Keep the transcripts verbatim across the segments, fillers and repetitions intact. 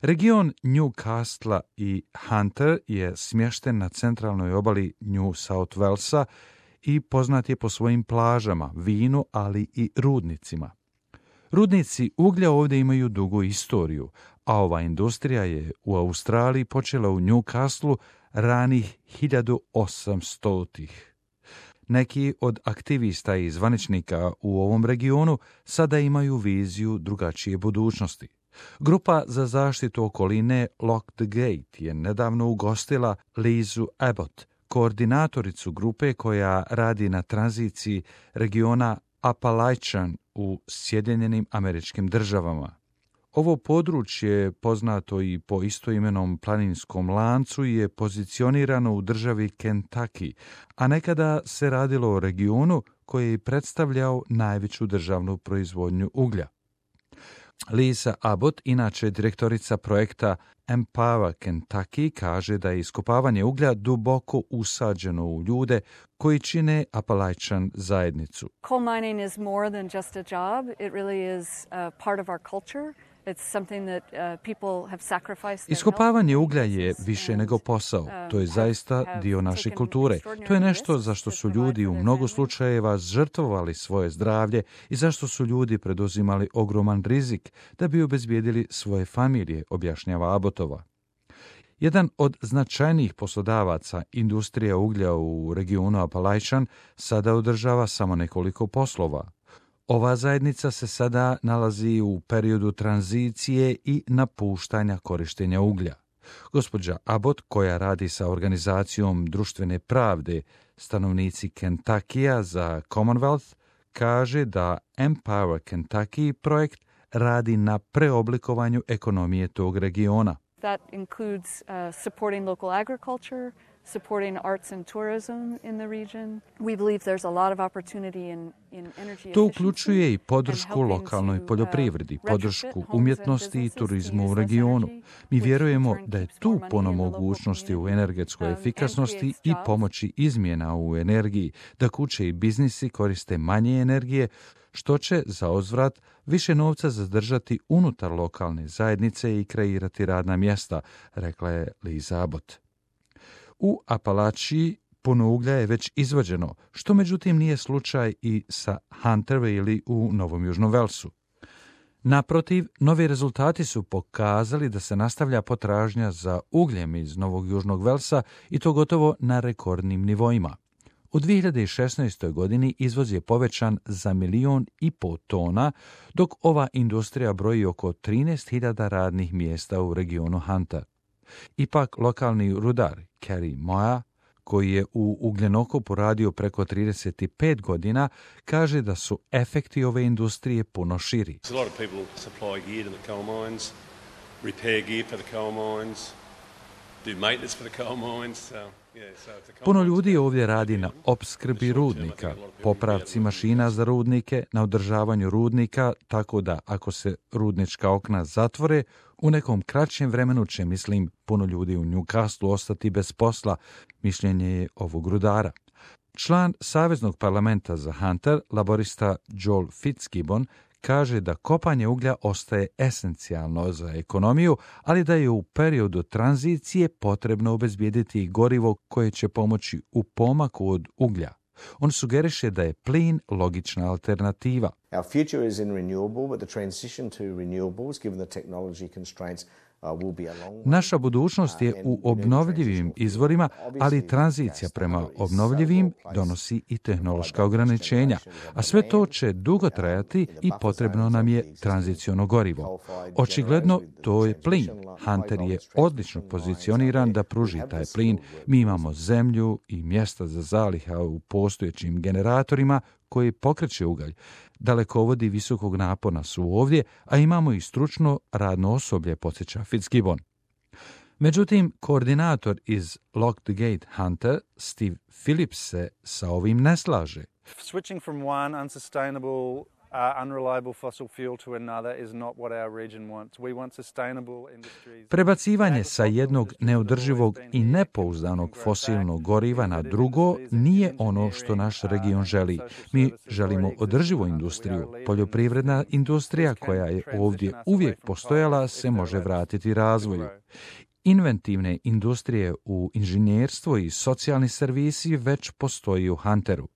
Region Newcastle i Hunter je smješten na centralnoj obali New South Walesa i poznat je po svojim plažama, vinu, ali i rudnicima. Rudnici uglja ovdje imaju dugu istoriju, a ova industrija je u Australiji počela u Newcastleu ranih hiljadu osamstotih. Neki od aktivista i zvaničnika u ovom regionu sada imaju viziju drugačije budućnosti. Grupa za zaštitu okoline Lock the Gate je nedavno ugostila Lizu Abbott, koordinatoricu grupe koja radi na tranziciji regiona Appalachian u Sjedinjenim Američkim Državama. Ovo područje, poznato i po istoimenom planinskom lancu, je pozicionirano u državi Kentucky, a nekada se radilo o regionu koji je predstavljao najveću državnu proizvodnju uglja. Lisa Abbott, inače direktorica projekta Empower Kentucky, kaže da je iskopavanje uglja duboko usađeno u ljude koji čine Appalachian zajednicu. Coal mining is more than just a job. It really is a part of our culture. Iskopavanje uglja je više nego posao. To je zaista dio naše kulture. To je nešto za što su ljudi u mnogo slučajeva žrtvovali svoje zdravlje i zašto su ljudi preduzimali ogroman rizik da bi obezbijedili svoje familije, objašnjava Abbottova. Jedan od značajnijih poslodavaca industrija uglja u regionu Appalachian sada održava samo nekoliko poslova. Ova zajednica se sada nalazi u periodu tranzicije i napuštanja korištenja uglja. Gospođa Abbott, koja radi sa organizacijom društvene pravde stanovnici Kentuckya za Commonwealth, kaže da Empower Kentucky projekt radi na preoblikovanju ekonomije tog regiona. That includes uh, supporting local agriculture, supporting arts and tourism in the region. We believe there's a lot of opportunity in, in energy. To uključuje i podršku lokalnoj poljoprivredi, podršku umjetnosti i turizmu u regionu. Mi vjerujemo da je tu puno mogućnosti u energetskoj efikasnosti i pomoći izmjena u energiji, da kuće i biznisi koriste manje energije, što će za uzvrat više novca zadržati unutar lokalne zajednice i kreirati radna mjesta, rekla je Liza Abbott. U Apalachiji puno uglja je već izvađeno, što međutim nije slučaj i sa Hunter ili u Novom Južnom Velsu. Naprotiv, novi rezultati su pokazali da se nastavlja potražnja za ugljem iz Novog Južnog Velsa i to gotovo na rekordnim nivoima. U dvije hiljade šesnaestoj. godini izvoz je povećan za milion i pol tona, dok ova industrija broji oko trinaest hiljada radnih mjesta u regionu Hunter. Ipak, lokalni rudar Kerry Moya, koji je u ugljenokopu radio preko trideset pet godina, kaže da su efekti ove industrije puno širi. Puno ljudi ovdje radi na opskrbi rudnika, popravci mašina za rudnike, na održavanju rudnika, tako da ako se rudnička okna zatvore, u nekom kraćem vremenu će, mislim, puno ljudi u Newcastleu ostati bez posla, mišljenje je ovog rudara. Član Saveznog parlamenta za Hunter, laborista Joel Fitzgibbon, kaže da kopanje uglja ostaje esencijalno za ekonomiju, ali da je u periodu tranzicije potrebno obezbijediti gorivo koje će pomoći u pomaku od uglja. On sugeriše da je plin logična alternativa. Our future is in renewable, but the transition to renewables, given the technology constraints, Naša budućnost je u obnovljivim izvorima, ali tranzicija prema obnovljivim donosi i tehnološka ograničenja, a sve to će dugo trajati i potrebno nam je tranziciono gorivo. Očigledno to je plin. Hunter je odlično pozicioniran da pruži taj plin. Mi imamo zemlju i mjesta za zaliha u postojećim generatorima koji pokreće ugalj. Dalekovodi visokog napona su ovdje, a imamo i stručno radno osoblje, podsjeća Fitzgibbon. Međutim, koordinator iz Lock the Gate Hunter, Steve Phillips, se sa ovim ne slaže. Switching from one unsustainable Prebacivanje sa jednog neodrživog i nepouzdanog fosilnog goriva na drugo nije ono što naš region želi. Mi želimo održivu industriju. Poljoprivredna industrija koja je ovdje uvijek postojala se može vratiti razvoju. Inventivne industrije u inženjerstvo i socijalni servisi već postoji u Hunteru.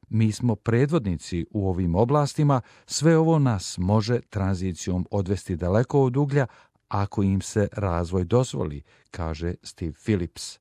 Mi smo predvodnici u ovim oblastima, sve ovo nas može tranzicijom odvesti daleko od uglja ako im se razvoj dozvoli, kaže Steve Phillips.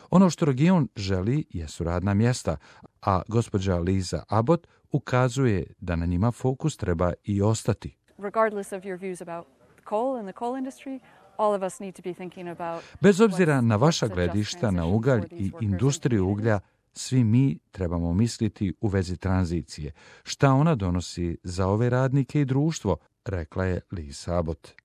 Ono što region želi jesu radna mjesta, a gospođa Lisa Abbott ukazuje da na njima fokus treba i ostati. Regardless of your views about coal and the coal industry, all of us need to be thinking about Bez obzira na vaša gledišta na ugalj i industriju uglja, svi mi trebamo misliti u vezi tranzicije. Šta ona donosi za ove radnike i društvo, rekla je Lisa Abbott.